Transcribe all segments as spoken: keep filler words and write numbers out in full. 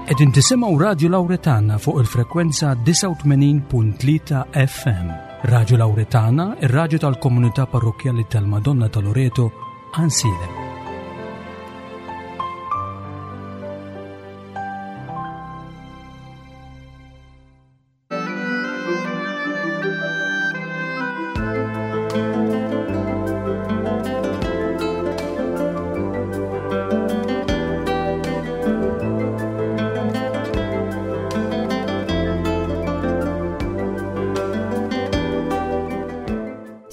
Qegħdin tisimgħu Radio Lauretana fuq il-frekwenza disgħa u tmenin punt tlieta F M. Radio Lauretana, ir-radju tal-komunità parrokkjali tal-Madonna ta' Loreto, Għajnsielem.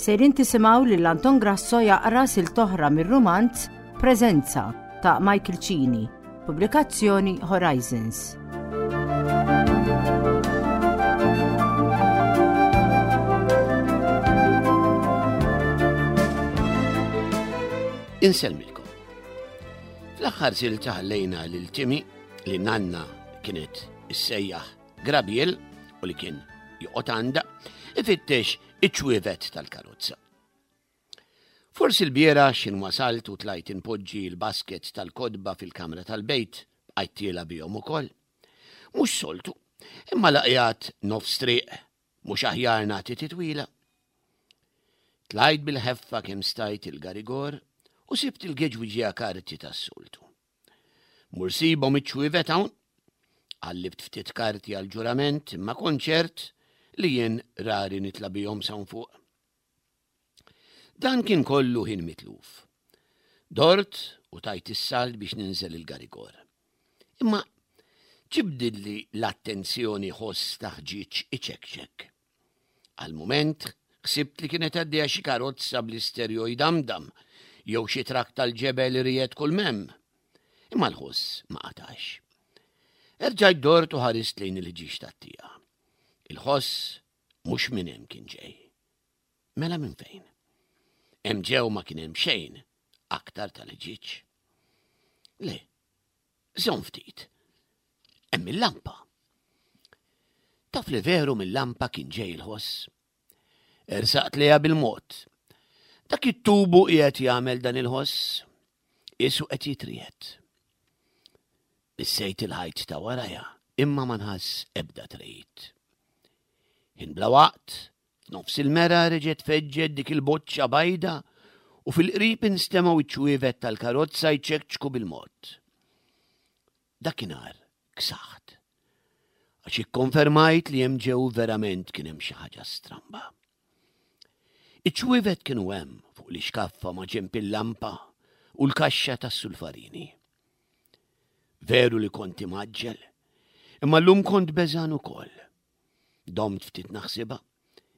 Sejrin tisimgħu lil Anton Grasso jaqra silta oħra mir-rumanz Preżenza ta' Michael Cini, pubblikazzjoni Horizons. Insellmilkom. Fl-aħħar silta ħallejna lil Timmy, li nanna kienet issejjaħ Grabiel u li kien joqgħod għandha, ifittex iċ-ċwievet tal-karozza. Forsi l-bieraħ x'ħin wasalt u tlajt inpoġġi l-basket tal-kotba fil-kamra tal-bejt, bqajt tiela' bihom ukoll. Mhux soltu, imma la qiegħed nofs triq, mhux aħjar nagħti titwila. Tlajt bil-ħeffa kemm stajt il-garigor u sibt il-geġwiġija karti tas-soltu. Mur sibhom iċ-ċwievet hawn, qallibt ftit karti għal-ġurament, imma kont ċert li jien rari nitla' bihom s'hawn fuq. Dan kien kollu ħin mitluf. Dort u tajt is-salt biex ninżel il-garigor. Imma ġibdidli l-attenzjoni ħoss ta' ħġieġ iċekċek. Għal mument ħsibt li kienet għaddejja xi karozza bl-isterjo jdamdam jew xi trakk tal-ġebel iriegħed kull m'hemm. Imma l-ħoss ma qatax. Erġajt dort u ħarist lejn il-ħġieġ tat-tieqa. Il-ħoss mhux minn hemm kien ġej. Mela minn fejn? Hemm ġew ma kien hemm xejn aktar tal-ħġieġ. Le, żomm ftit. Hemm il-lampa. Taf li veru mill-lampa kien ġej il-ħoss. Ersaqt lejha bil-mod. Dak it-tubu qiegħed jagħmel dan il-ħoss. Qisu qed jitriegħed. Missejt il-ħajt ta' warajja, imma ma nħass ebda tregħid. Ħin bla waqt, nofs il-mera reġgħet feġġet dik il-boċċa bajda u fil-qrib instemgħu iċ-ċwievet tal-karozza jċekċku bil-mod. Dakinhar ksaħt. Għax ikkonfermajt li hemm ġew verament kien hemm xi ħaġa stramba. Iċ-ċwievet kienu hemm fuq l-ixkaffa ma' ġenb il-lampa u l-kaxxa tas-sulfarini. Veru li kont imgħaġġel, imma llum kont beżgħan ukoll. Domt ftit naħsibha.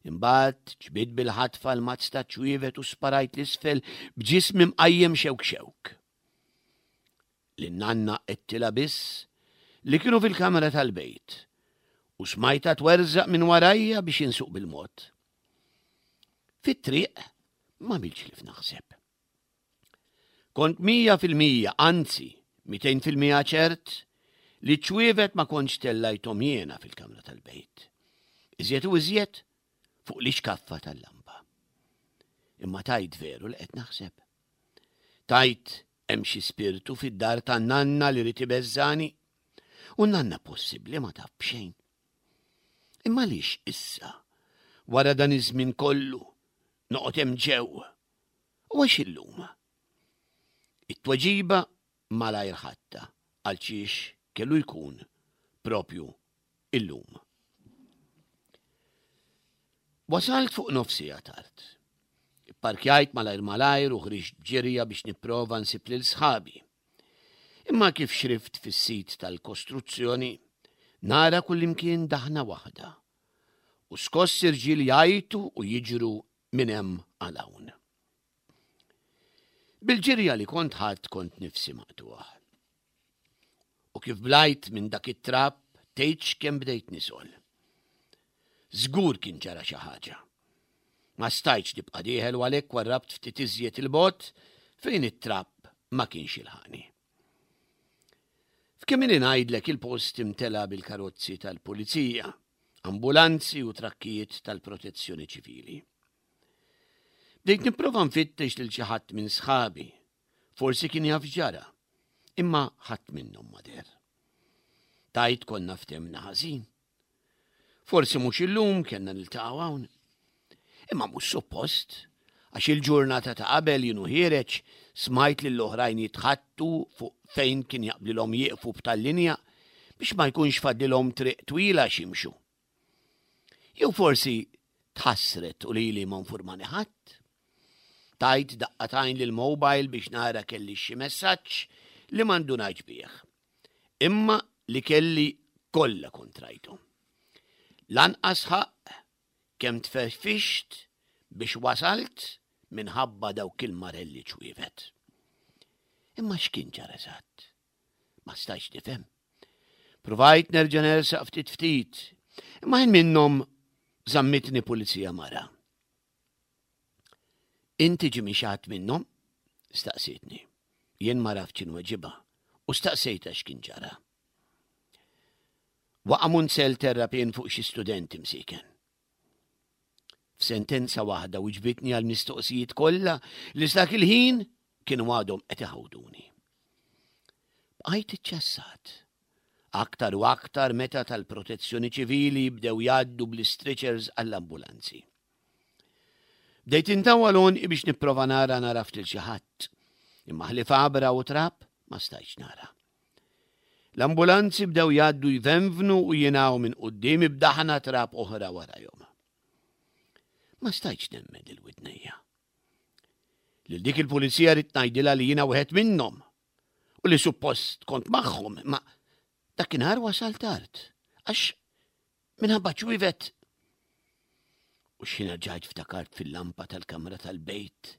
Imbagħad ġbidt bil-ħatfa l-mazz ta' ċwievet u sparajt 'l isfel b'ġismi mqajjem xewk xewk. Lin-nanna għedtilha biss li kienu fil-kamra tal-bejt u smajtha twerżaq minn warajja biex insuq bil-mod. Fit-triq ma milx li f'naħseb. Kont mija fil-mija, anzi, mitejn fil-mija ċert li ċ-ċwievet ma kontx tellajthom jiena fil-kamra tal-bejt. Iżjed u iżjed fuq l-ixkaffa tal-lampa. Imma tajt veru li qed naħseb? Tajt hemm xi spirtu fid-dar tan-nanna li rid ibeżżani? U nanna possibbli ma taf b'xejn. Imma għaliex issa, wara dan iż-żmien kollu, noqgħod hemm ġew? U għax illum? It-tweġiba malajr ħadtha għal xiex kellu jkun propju illum. Wasalt fuq nofs siegħa tard. Parkjajt malajr malajr u ħriġt ġirja biex nipprova nsib lil sħabi. Imma kif xrift fis-sit tal-kostruzzjoni, nara kullimkien daħna waħda. U skoss irġiel jgħajtu u jiġru minn hemm għal hawn. Bil-ġirja li kont ħadd kont nifsi maqtuħ. U kif blajt minn dak it-trab, tgħidx kemm bdejt nisgħol. Żgur kien ġara xi ħaġa. Ma stajtx nibqa' dieħel u għalhekk warrabt ftit iżjed 'il bogħod fejn it-trab ma kienx jilħaqni. F'kemm ili ngħidlek il-post imtela bil-karozzi tal-pulizija, ambulanzi u trakkijiet tal-protezzjoni ċivili. Bdejt nipprova nfittex lil xi ħadd minn sħabi, forsi kien jaf ġara, imma ħadd minnhom ma deher. Tajt konna ftemna ħażin. Forsi mhux illum kellna niltaqgħu hawn. Imma mhux suppost, għax il-ġurnata ta' qabel jien u ħiereġ smajt lil oħrajn jitħattu fuq fejn kien jaqblilhom jieqfu b'tal-linja biex ma jkunx fadlilhom triq twila x'jimxu. Jew forsi tħassret u lili ma nfurmani ħadd. Tajt daqqa t'għajn lill-mobile biex nara kelli xi messaġġ li ma ndunajtx bih. Imma li kelli kollha kont rajthom. Lanqas ħaqq kemm tferfixt biex wasalt minħabba dawk il-marelli ċwievet. Imma x'kien ġara eżatt? Ma stajtx nifhem. Provajt nerġa' nersaq ftit ftit, imma ħin minnhom żammitni pulizija mara. Inti ġimi xaħat minnhom? Staqsietni. Jien ma raftx inweġibha u staqsejtha x'kien ġara. Waqa' munzell terrapien fuq xi studenti msiken. F'sentenza waħda wiġbitni għal mistoqsijiet kollha li dak il-ħin kienu għadhom qed iħawduni. Bqajt iċċassat. Aktar u aktar meta tal-protezzjoni ċivili bdew jgħaddu bl-stretchers għall-ambulanzi. Bdejt intawwal għonqi biex nipprova nara nagħraf lil xi ħadd, imma ħlief għabra u trab ma stajtx nara. L-ambulanzi bdew jgħaddu jvenvnu u jingħu minn quddiemi b'daħna trab oħra warajhom. Ma stajtx nemmen lil widnejja. Lil dik il-pulizija ridt ngħidilha li jiena wieħed minnhom u li suppost kont magħhom, ma dakinhar wasal tard għax minħabba ċwievet. U x'ħin ġajt ftakart fil-lampa tal-kamra tal-bejt,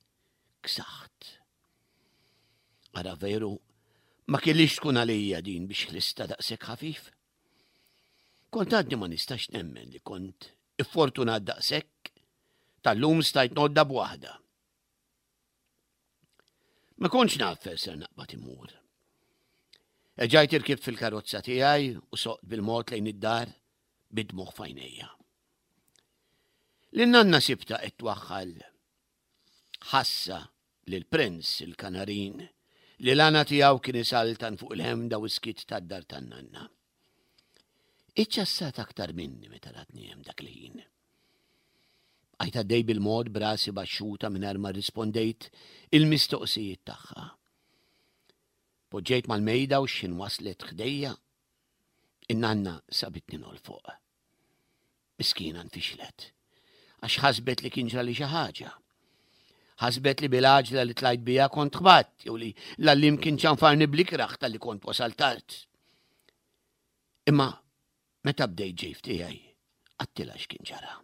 ksaħt. Ara veru, ma kellix tkun għalija din biex ħlista daqshekk ħafif. Kont għadni ma nistax nemmen li kont iffortunat daqshekk tal-lum stajt nodda b'waħda. Ma kontx naf fejn ser naqbad immur. Erġajt irkibt fil-karozza tiegħi u soqt bil-mod lejn id-dar bid-dmugħ f'għajnejja. Lin-nanna sibta qed twaħħal ħassa lil Prince il-kanarin li l-għana tiegħu kien isaltan fuq il-ħemda u skiet tad-dar tan-nanna. Iċċassat aktar minni meta ratni hemm dak il-ħin. Bqajt għaddej bil-mod b'rasi baxxuta mingħajr ma rrispondejt il-mistoqsijiet tagħha. Poġġejt mal-mejda u x'ħin waslet ħdejja, in-nanna sabitni nolfoq. Miskina nfixlet, għax ħasbet li kien ġrali xi ħaġa. Ħasbet li bil-għaġla li tlajt bija kont ħbatt, jew li l-għalliem kien ċanfarni bl-ikrah talli kont wasal tard. Imma meta bdejt ġej f'tiegħi, għedtilha x'kien ġara.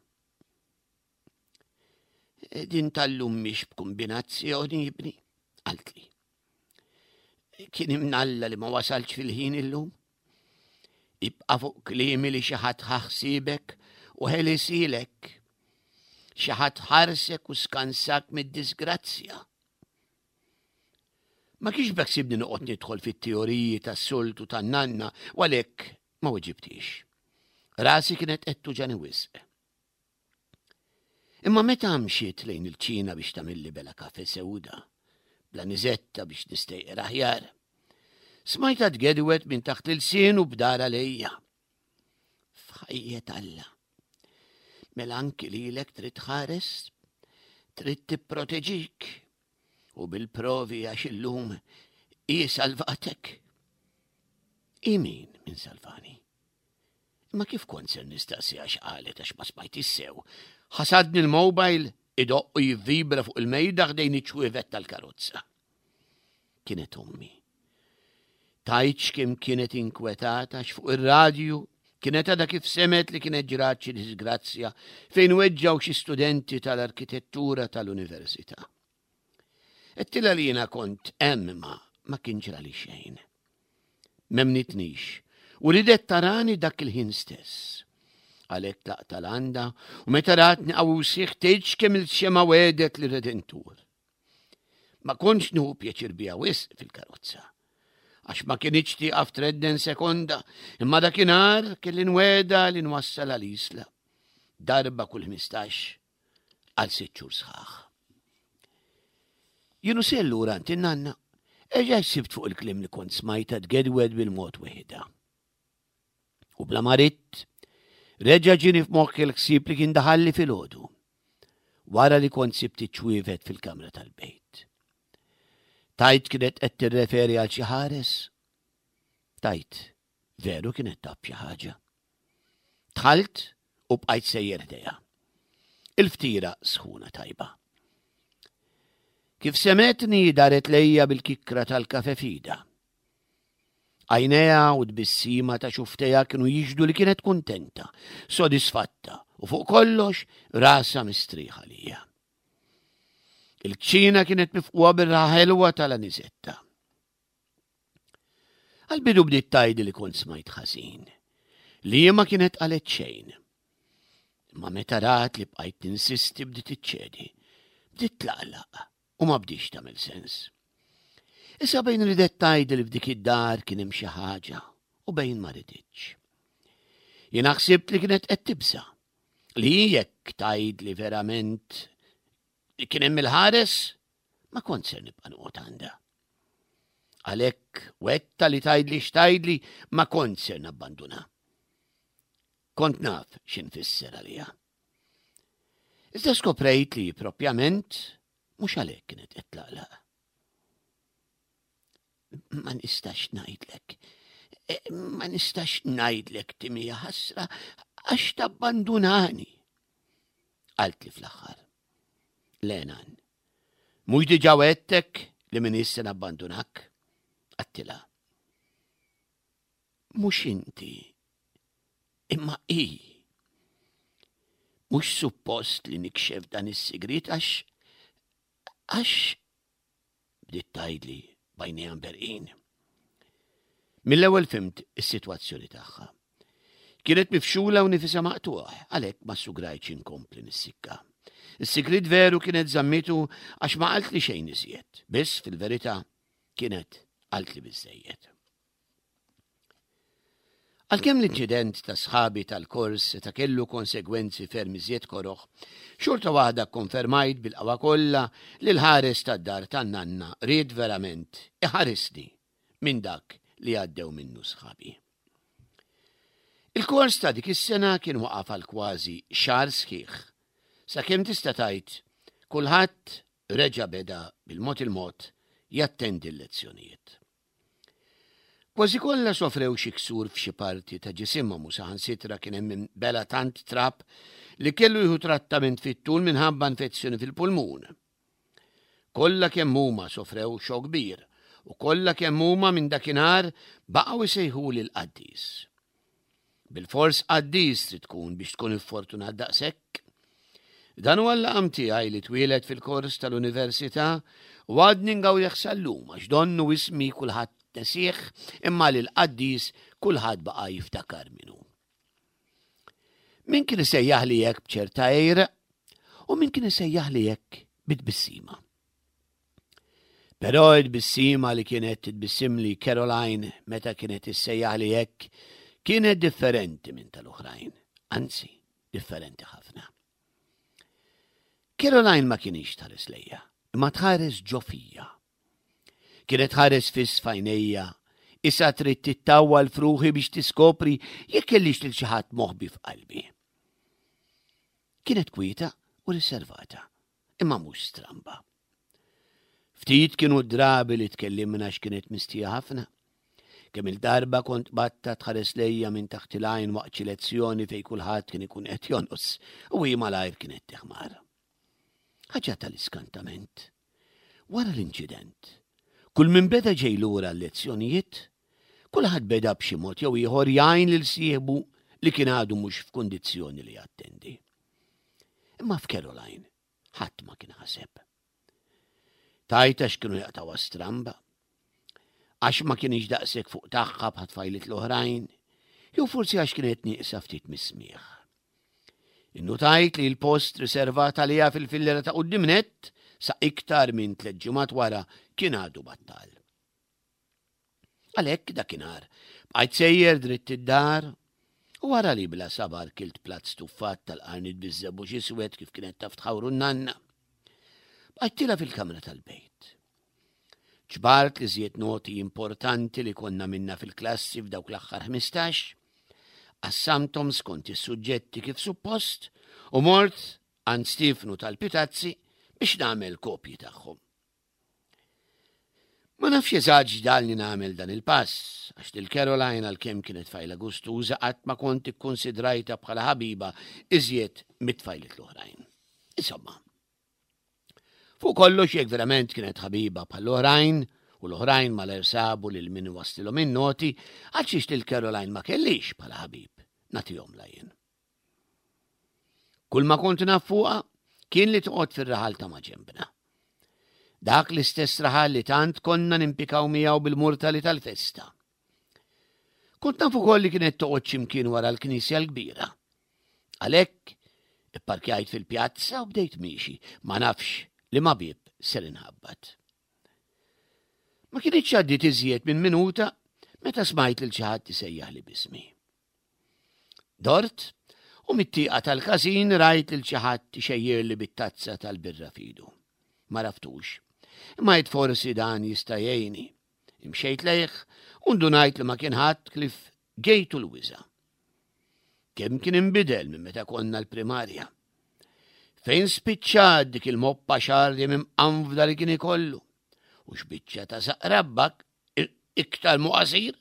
Din tal-lum mhix b'kombinazzjoni ibni, qaltli. Kien imnalla li ma wasalx fil-ħin illum. Ibqa' fuq kliemi li xi ħadd ħa ħsiebek u ħelisilek. Xi ħadd ħarsek u skansak mid-disgrazzja. Ma kienx beħsiebni noqgħod nidħol fit-teoriji tas-soltu tan-nanna u għalhekk ma weġibtix. Rasi kienet qed tuġani wisq. Imma meta mxiet lejn il-ċina biex tagħmilli bela kafe sewda, bla niżetta biex nistejqer aħjar, smajta tgedwet minn taħt il-sien u bdara lejja. F'ħajjet Alla. Mela anki lilek trid tħares, trid tipproteġik u bil-provi għax illum hi salvatek. I min min salvani? Imma kif kont ser nistaqsi għax qalet għax ma smajt sew. Ħasadni l-mobile idoqq u jivvibra fuq il-mejda ħdejn iċ-ċwievet tal-karozza. Kienet ommi. Tgħidx kemm kienet inkwetata għax fuq ir-radju kienet għadha kif semgħet li kienet ġrat xi disgrazzja fejn weġġgħu xi studenti tal-arkitettura tal-università. Għedtilha li jiena kont hemm ma ma kien ġrali xejn. M'emmnitnix u ridet tarani dak il-ħin stess. Għalhekk tlaqt għandha u meta ratni qawwi u sħiħ tgħidx kemm il-xema wedet lir-Redentur. Ma kontx nieħu pjaċir biha wisq fil-karozza. Għax ma kinitx tieqaf tredden sekonda, imma dakinhar kelli nwegħda li nwassal għal-Isla. Darba kull ħmistax għal sitt xhur sħaħ. Jien u sejjer lura għand in-nanna, erġajt sibt fuq il-kliem li kont smajta tgedwed bil-mod weħidha. U bla ma ridt, reġa' ġieni f'moħħi l-ħsieb li kien daħalli filgħodu, wara li kont sibt iċ-ċwievet fil-kamra tal-bejt. Tgħid kienet qed tirreferi għal xi ħares? Tgħid, veru kienet taf xi ħaġa. Dħalt u bqajt sejjer ħdejha. Il-ftira sħuna tajba. Kif semetni daret lejja bil-kikkra tal-kafe f'idha. Għajnejha u tbissima ta' xufftejha kienu jixhdu li kienet kuntenta, sodisfatta u fuq kollox rasha mistrieħa għalija. Il-kċina kienet mifqugħa bir-riħa ħelwa tal-anisetta. Għal-bidu bdiet tgħidli li kont smajt ħażin, li ma kienet qalet xejn. Imma meta rat li bqajt ninsisti bdiet iċċedi, bdiet tlaqlaq u ma bdietx tagħmel sens. Issa bejn ridet tgħidli li f'dik id-dar kien hemm xi ħaġa u bejn ma riditx. Jiena ħsibt li kienet qed tibża' li jekk tgħidli verament kien hemm il-ħares ma kont ser nibqa' noqgħod għandha. Għalhekk wegħedtha li tgħidli x'tgħidli ma kont ser nabbanduna. Kont naf x'infisser għalija. Iżda skoprejt li propjament mhux għalhekk kienet qed tlaqlaq. Ma nistax ngħidlek. E, ma nistax ngħidlek Timmy ħasra għax tabbandunani. Qaltli fl-aħħar. Le nan, mhux diġà wegħedtek li m'iniex se nabbandunak? Għedtilha. Mhux inti, imma i. Mhux suppost li nikxef dan is-sigrit għax għax bdiet tgħidli b'għajnejha mberrqin. Mill-ewwel fhimt is-sitwazzjoni tagħha. Kienet mifxula u nifisha maqtugħ, għalhekk ma ssugrajtx inkompli nissikka. Is-sigrit veru kienet żammitu għax ma qaltli xejn iżjed, biss fil-verità kienet qaltli biżejjed. Għalkemm l-inċident ta' sħabi tal-kors ta' kellu konsegwenzi ferm iżjed koroħ, xorta waħda konfermajt bil-qawwa kollha li l-ħares tad-dar tan-nanna ried verament iħarisni minn dak li għaddew minnu sħabi. Il-kors ta' dik is-sena kien waqaf għal kważi xahar sħiħ, sakemm tista' tgħid kulħadd reġa' beda bil-mod il-mod jattendi l-lezzjonijiet. Kważi kollha sofrew xi ksur f'xi parti ta' ġisimhom u saħansitra kien hemm min bela' tant trab li kellu jieħu trattament fit-tul minħabba infezzjoni fil-pulmun. Kollha kemm huma sofrew xokk kbir u kollha kemm huma minn dakinhar baqgħu jsejħuli l-qaddis. Bil-fors qaddis trid tkun biex tkun iffortunat daqshekk. Dan huwa l-laqam tiegħi li twieled fil-kors tal-università u għadni ngawdih sal-lum għax donnu ismi kulħadd nesieh imma lil qaddis kulħadd baqa' jiftakar minnu. Min kien isejjaħli hekk b'ċerta għira u min kien isejjaħli hekk bit-tbissima. Però it-tbissima li kienet titbissimli Caroline meta kienet issejjaħli hekk kienet differenti minn tal-oħrajn, anzi differenti ħafna. Caroline ma kienx tħares lejja, imma tħares ġo fija. Kienet tħares fiss f'għajnejja, issa trid tittawwal f'ruħi biex tiskopri jekk kellix lil xi ħadd moħbi f'qalbi. Kienet kwieta u riservata, imma mhux stramba. Ftit kienu drabi li tkellimna x'kienet mistija ħafna. Kemm il-darba kont qbadtha tħares lejja minn taħt il-għajn waqt xi lezzjoni fejn kulħadd kien ikun qed jonqos u hi malajr kienet teħmar. Ħaġa tal-iskantament. Wara l-inċident, kull min beda ġej lura l-lezzjonijiet, kulħadd beda b'xi mod jew ieħor jgħin lil sieħbu li kien għadu mhux f'kundizzjoni li jattendi. Imma f'Caroline ħadd ma kien ħaseb. Tgħid għax kienu jaqtgħuha stramba, għax ma kienx daqshekk fuq tagħha bħat tfajliet l-oħrajn, jew forsi għax kienet nieqsa ftit mis-smieħ. Innutajt li l-post riservat għaliha fil-fillera ta' quddiem nett sa iktar minn tliet ġimgħat wara kien għadu battal. Għalhekk dakinhar bqajt sejjer dritt id-dar u wara li bla sabar kilt platt stuffat tal-qarnit biż-żebbuġ iswed kif kienet taf tħawru n-nanna. Bqajt tiela' fil-kamra tal-bejt. Ġbart l-iżjed noti importanti li konna għamilna fil-klassi f'dawk l-aħħar ħmistax, Qassamthom skont is-suġġetti kif suppost u mort għand Stefnu tal-Pitazzi biex nagħmel kopji tagħhom. Ma nafx eżatt x'ġagħalni nagħmel dan il-pass, għax lil Caroline għalkemm kienet tfajla gustuża qatt ma kont ikkonsidrajtha bħala ħabiba iżjed mit-tfajliet l-oħrajn. Insomma, fuq kollox jekk verament kienet ħabiba bħall-oħrajn u l-oħrajn malajr sabu lil min iwasslilhom in-noti, għalxiex lil Caroline ma kellix bħala ħabib, nagħtihomlha jien. Kull ma kont naf fuqha kien li toqgħod fir-raħal ta' maġenbna. Dak l-istess raħal li tant konna nimpikaw miegħu bil-murtali tal-festa. Kont naf ukoll li kienet toqgħod x'imkien wara l-knisja l-kbira. Għalhekk ipparkjajt fil-pjazza u bdejt miexi, ma nafx liema bieb ser inħabbat. Ma kinitx għaddiet iżjed minn minuta meta smajt lil xi ħadd isejjaħli b'ismi. Dort u mit-tieqa tal-każin rajt lil xi ħadd ixejjirli bit-tazza tal-birra f'idu. Ma għaraftux. Imma għidt forsi dan jista' jgħinni. Imxejt lejh u ndunajt li ma kien ħadd ħlief Gejtu l-Wiża. Kemm kien inbidel minn meta konna l-primarja. Fejn spiċċat dik il-moppa xagħar li mimqanfda li kien ikollu. U x'biċċa ta' saqrabbak iktar mu qasir.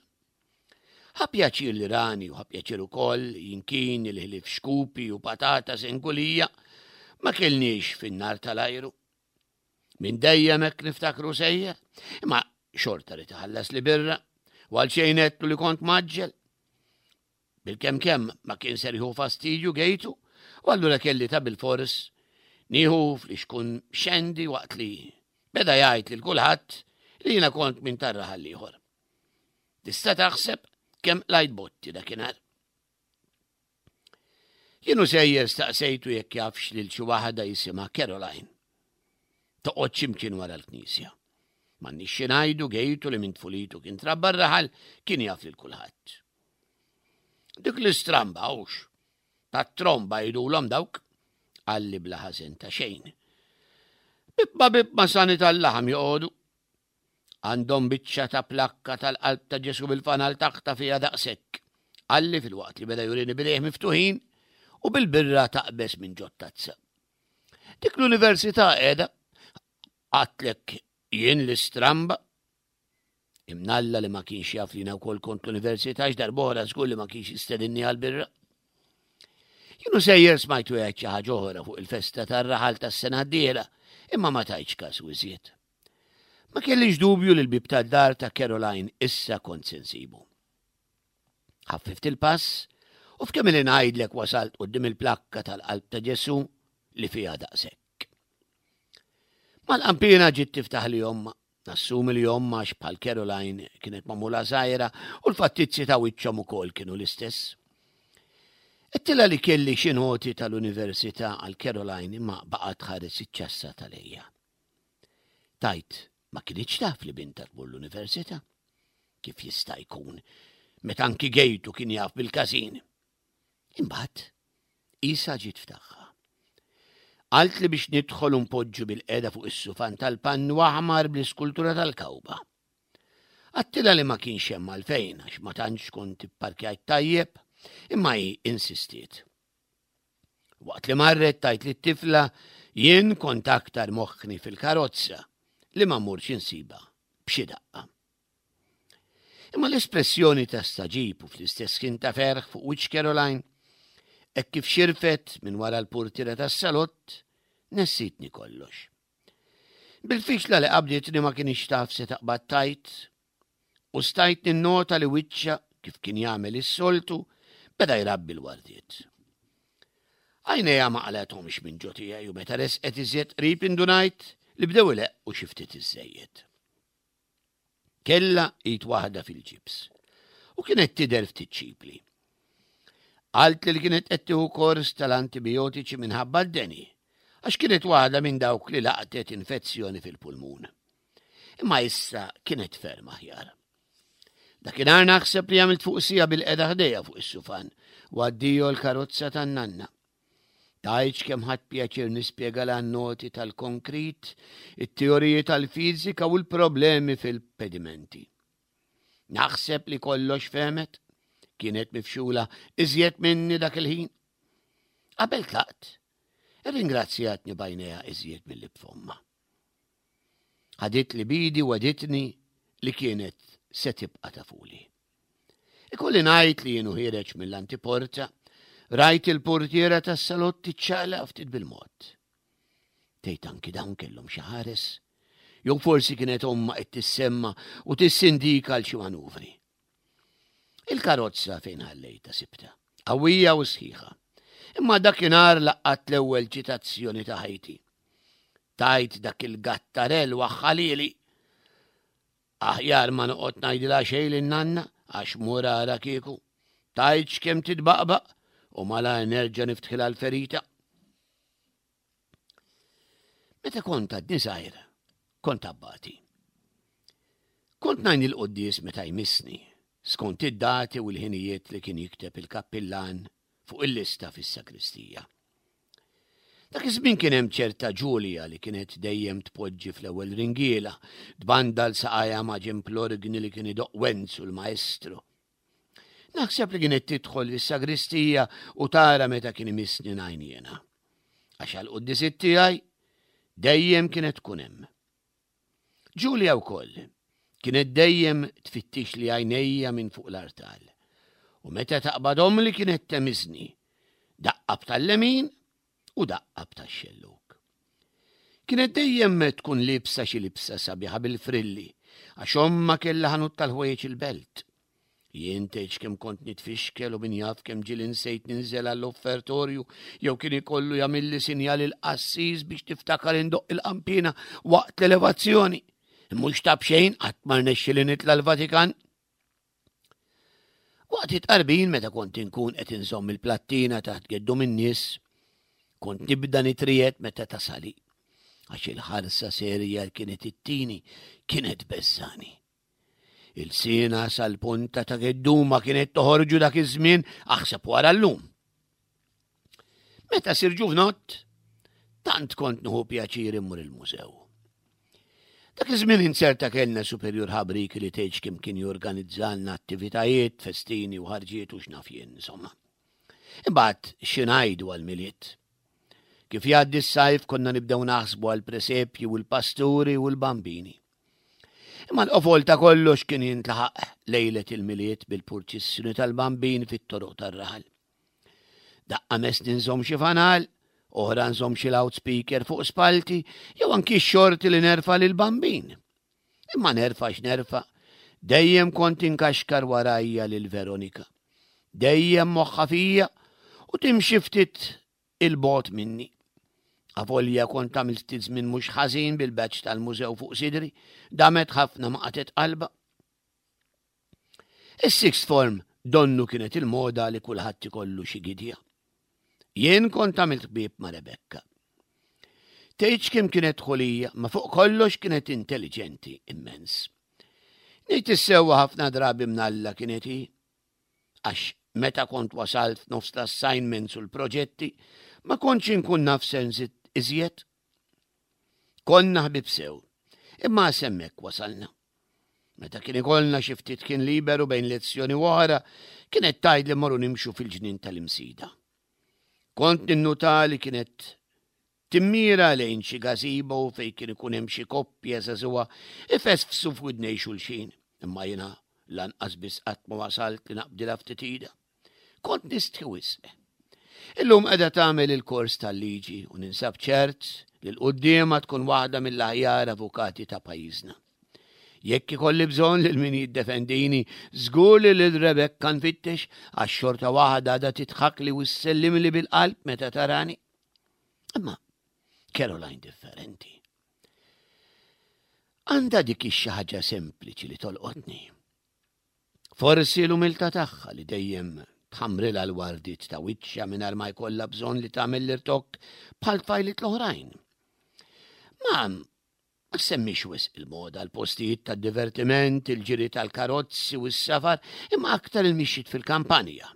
Ħa pjaċir li rani u ħa pjaċir ukoll jinkin li ħlief xkupi u patata sengulija ma kellniex fin-nar tal-ajru. Minn dejjem hekk niftakru sejjer, imma xorta ried iħallasli birra u għal xejn għedtlu li kont mgħaġġel. Bil-kemm kemm ma kien ser jieħu fastidju Gejtu, u allura kelli ta' bil-fors nieħu flixkun xendi waqt li beda jgħid lil kulħadd li jiena kont minn tar-raħal ieħor. Tista' taħseb kemm qlajt botti dakinhar. Jien u sejjer staqsejtu jekk jafx lil xi waħda jisimha Caroline. Toqgħod x'imkien wara l-knisja. M'għandniex xi ngħidu Gejtu li minn tfulitu kien trabba r-raħal kien jaf lil kulħadd. Dik l-istramba hux, tat-tromba jgħidulhom dawk, qalli bla ħażen ta' xejn. Bieb ma' bieb ma' sani tal-laħam joqogħdu. Għandhom biċċa ta' plakka tal-qalb ta' Ġesu bil-fanal taħta fiha daqshekk. Qalli filwaqt li beda jurini b'idejh miftuħin u bil-birra taqbeż minn ġot-tazza. Dik l-università qiegħda għedtlek jien l-istramba. Imnalla li ma kienx jaf li wkoll kont l-università x'darb'oħra żgur li ma kienx jistedinni għal-birra. Jien u sejjer smajtu jgħid xi ħaġa oħra fuq il-festa tar-raħal tas-sena d-dieħla, imma ma tajtx kasu iżjed. Ma kellix dubju li l-bib tad-dar ta' Caroline issa kont se nsibu. Ħaffift il-pass u f'kemm li ngħidlek wasalt quddiem il-plakka tal-qalb ta' Ġesu li fiha daqshekk. Mal-qampina ġiet tiftaħli ommha, nassumi li ommha għax bħal Caroline kienet magħmula żgħira u l-fattizzi ta' wiċċhom ukoll kienu l-istess. Għedtilha li kelli xi noti tal-università għal Caroline imma baqgħet tħares iċ-ċassa tal-ejja. Tajt, ma kinitx taf li binta tmur l-università. Kif jista' jkun, meta anki Gejtu kien jaf bil-każin. Imbagħad, isa ġiet f'tagħha. Qaltli biex nidħol u npoġġu bilqiegħda fuq is-sufan tal-pannu aħmar bl-iskultura tal-kawba. Għedtilha li ma kienx hemm għalfejn għax ma tantx kont ipparkjajt tajjeb, imma hi insistiet. Waqt li marret tgħid lit-tifla jien kont aktar moħħni fil-karozza li ma mmurx insiba b'xi daqqa. Imma l-espressjoni ta' stagħġib u fl-istess ħin ta' ferħ fuq wiċċ Caroline, hekk kif xirfet minn wara l-portiera tas-salott, nessitni kollox. Bil-fixla li qabditni ma kinitx taf se taqbad tgħid, u stajt ninnota li wiċċha kif kien jagħmel is-soltu beda jrabbi l-wardiet. Għajnejha ma qalgħethomx minn ġo tiegħi u meta resqet iżjed qrib indunajt li bdew ileqqu xi ftit iżżejjed. Kellha id waħda fil-ġibs u kienet tidher ftit ċipli. Qaltli li kienet qed tieħu kors tal-antibiotiċi minħabba d-deni, għax kienet waħda minn dawk li laqtet infezzjoni fil-pulmun. Imma issa kienet ferm aħjar. Dakinhar naħseb li għamilt fuq siegħa bilqiegħda ħdejha fuq is-sufan u addio l-karozza tan-nanna. Tgħidx kemm ħadt pjaċir nispjega l-noti tal-konkrit, it-teoriji tal-fiżika u l-problemi fil-pedimenti. Naħseb li kollox fehmet, kienet mifxula iżjed minni dak il-ħin. Qabel tlaqt, irringrazzjatni b'għajnejha iżjed milli b'fommha. Ħaditli b'idi u wegħditni li kienet se tibqa' tafuli. Ikolli ngħid li jien u ħiereġ mill-antiporta, rajt il-portiera tas-salott tiċċaqlaq ftit bil-mod. Tgħid anki dawn kellhom xi ħares? Jew forsi kienet ommha qed tissemma u tissindika għal xi manuvri. Il-karozza fejn ħallejtha sibtha, qawwija u sħiħa. Imma dakinhar laqqat l-ewwel ċitazzjoni ta' ħajti. Tajt dak il-gattarell waħħalili. Aħjar ma noqgħod ngħidilha xejn lin-nanna għax mur ara kieku. Tgħidx kemm titbaqbaq u malajr nerġa' niftħilha l-ferita. Meta kont għadni żgħir, kont abbati. Kont ngħin il-quddies meta jmissni, skont id-dati u l-ħinijiet li kien jikteb il-kappillan fuq il-lista fis-sakristija. Dak iż-żmien kien hemm ċerta Ġulja li kienet dejjem tpoġġi fl-ewwel ringiela, tbandal saqajha ma' ġenb l-orgni li kien idoqq Wenzu l-maestro. Naħseb li kienet tidħol fis-sagristija u tara meta kien imissni ngħin jiena. Għax għall-quddiesiet tiegħi dejjem kienet tkun hemm. Ġulja wkoll kienet dejjem tfittixli għajnejja minn fuq l-artal. U meta taqbadhom li kienet temiżni, daqqa b'tal-lemin u daqqa b'tax-xellug. Kienet dejjem tkun libsa xi libsa sabiħa bil-frilli, għax ommha kellha ħanut tal-ħwejjeġ il-belt. Jien tgħidx kemm kont nitfixkel u min jaf kemm ġieli nsejt ninżel għall-offertorju jew kien ikollu jagħmilli sinjal il-qassis biex tiftakar indoqq il-qanpiena waqt l-elevazzjoni. Mhux ta' b'xejn qatt ma rnexxieli nitla' l-Vatikan. Waqt it-tqarbin meta kont inkun qed inżomm il-plattina taħt geddum in-nies, kont nibda nitriegħed meta tasali, għax il-ħarsa serja li kienet ittini kienet beżżani. Il-sina sal-punta ta' gedduma kienet toħorġu dak iż-żmien aħseb wara llum. Meta sir ġuvnott, tant kont nieħu pjaċir immur il-mużew. Dak iż-żmien inzerta kellna superjur ħabriki li tgħidx kemm kien jorganizzalna attivitajiet, festini u ħarġiet u x'naf jien, insomma. Imbagħad xi ngħidu għall-Milied. Kif jgħaddi s-sajf konna nibdew naħsbu għall-presepji u l-pasturi u l-bambini. Imma l-qofol ta' kollox kien jintlaħaq lejlet il-Milied bil-purċissjoni tal-bambin fit-toroq tar-raħal. Daqqa messni nżomm xi fanal, oħra nżomm xi loudspeaker fuq spalti, jew anki x-xorti li nerfa' lill-bambin. Imma nerfa' x'nerfa', dejjem kont inkaxkar warajja lil Veronika. Dejjem moħħha fija u timxi ftit il-bogħod minni. Avolja kont għamilt ftit żmien mhux ħażin bil-badge tal-mużew fuq sidri, damet ħafna ma qatgħet qalbha. Is-sixth form donnu kienet il-moda li kulħadd ikollu xi gidja. Jien kont għamilt ħbieb ma' Rebecca. Tgħidx kemm kienet ħulija, ma fuq kollox kienet intelligenti immens. Ngħid is-sewwa ħafna drabi mnalla kienet hi. Għax meta kont wasalt f'nofs l-assignments u l-proġetti, ma kontx inkun naf se nżid iżjed. Konna ħbieb sew, imma s'hemmhekk wasalna. Meta kien ikollna xi ftit kien liberu bejn lezzjoni u oħra, kienet tgħid li mmorru nimxu fil-ġnien tal-Imsida. Kont ninnuta li kienet timmira lejn xi gazebo fejn kien ikun hemm xi koppja żagħżugħa ifesfsu f'widnej xulxin, imma jiena lanqas biss qatt ma wasalt li naqbdilha ftit idha. Kont nistħi wisq. Illum qiegħda tagħmel il-kors tal-liġi u ninsab ċert li l-quddiema tkun waħda mill-aħjar avukati ta' pajjiżna. Jekk ikolli bżonn lil min jiddefendini, żgur li lil Rebecca nfittex għax xorta waħda għadha tidħakli u ssellimli bil-qalb meta tarani. Imma Caroline differenti. Għandha dik ix-xi ħaġa sempliċi li tolqotni. Forsi l-umiltà tagħha li dejjem tħamrilha l-wardiet ta' wiċċha mingħajr ma jkollha bżonn li tagħmel l-irtokk bħal tfajliet l-oħrajn. Ma ma semmix wisq il-moda, l-postijiet tad-divertiment, il-ġiri tal-karozzi u s-safar, imma aktar il-mixjiet fil-kampanja.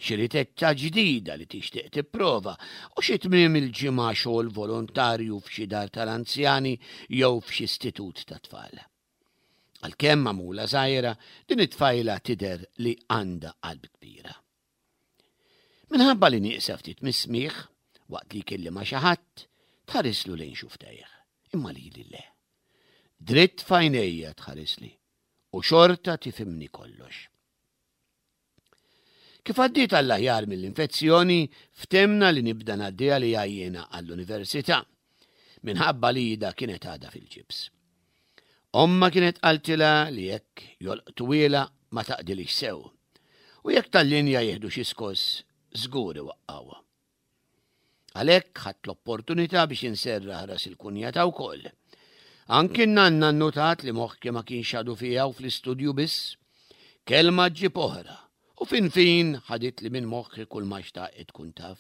Xi ritetta ġdida li tixtieq tipprova u xi tmiem il-ġimgħa xogħol volontarju f'xi dar tal-anzjani jew f'xi istitut ta' tfal. Għalkemm magħmula żgħira, din it-tfajla tidher li għandha qalb kbira. Minħabba li nieqsa ftit mis-smigħ, waqt li jkellimha xi ħadd, tħarislu lejn xufftejh, imma lili le. Dritt f'għajnejja tħarisli u xorta tifhimni kollox. Kif għaddiet għall-aħjar mill-infezzjoni, ftemna li nibda ngħaddiha li jiena għall-università, minħabba li idha kienet għadha fil-ġibs. Omma kienet qaltilha li jekk jolqtuhielha ma taqdilix sew, u jekk tal-linja jieħdu xi skoss, żgur iwaqqgħuha. Għalhekk ħadt l-opportunità biex inserraħ ras il-kunjata wkoll. Anki n-nanna nnotat li moħħi ma kienx għadu fiha u fl-istudju biss. Kelma ġġib oħra, u fin fin ħaditli minn moħħi kull ma xtaqet tkun taf.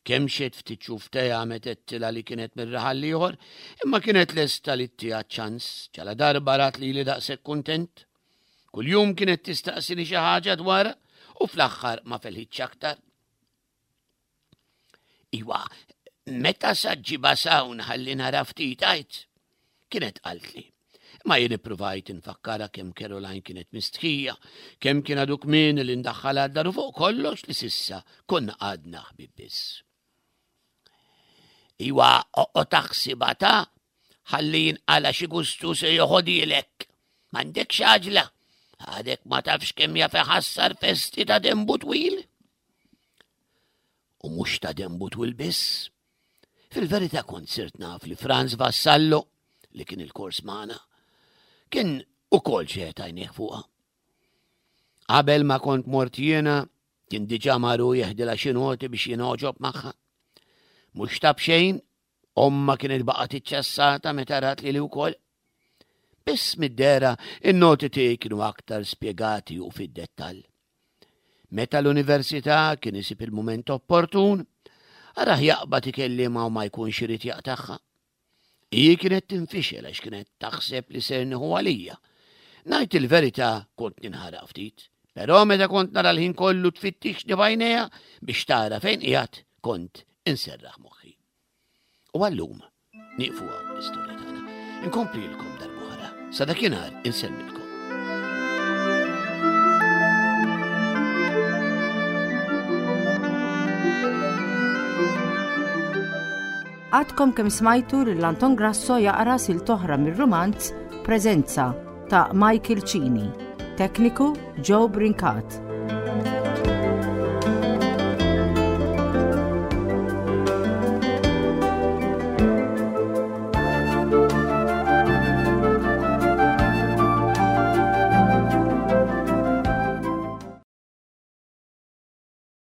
Kemmxet ftit xufftejha meta għedtilha li kienet mir-raħal l-ieħor, imma kienet lesta li ttiha ċans ġala darba rat li li daqshekk kuntent. Kuljum kienet tistaqsini xi ħaġa dwarha u fl-aħħar ma felħitx aktar. Iwa, meta sa ġġibha s'hawn ħalli nara ftit għajt? Kienet qaltli. Ma jien ippruvajt infakkarha kemm Caroline kienet mistħija, kemm kien għadu kmieni li ndaħħalha d-dar u fuq kollox li s'issa konna għadna ħbieb biss. Iwa, oqgħod taħsibha ta' ħalli jinqala xi gustu se joħodilek. M'għandekx għaġla, għadek ma tafx kemm jaf iħassar festi ta' dembu twil. U mhux ta' dembu twil biss. Fil-verità kont sirt naf li Franz Vassallo, li kien il-kors magħna, kien ukoll xeħet għajnejh fuqha. Qabel ma kont mort jiena, kien diġà maru jeħdilha xi noti biex jingħoġob magħha. Mhux ta' b'xejn, omma kienet baqgħet iċċassata meta rat lili wkoll. Biss mid-dehra in-noti tiegħi kienu aktar spjegati u fid-dettall. Meta l-università kien isib il-mument opportun, arah jaqbad ikellimha u ma jkunx irid jaqtagħha. Hi kienet tinfixel għax kienet taħseb li ser nieħu għalija. Ngħid il-verità kont ninħaraq ftit, però meta kont nara l-ħin kollu tfittixni b'għajnejha biex tara fejn qiegħed kont inserraħ moħħi. U għallum nieqfu hawn l-istorja tagħna. Inkomplilkom darb'oħra. Sa dakinhar insellmilkom. Għadkom kemm smajtu lil Anton Grasso jaqra silta oħra mir-rumanz Preżenza ta' Michael Cini. Tekniku Joe Brincat.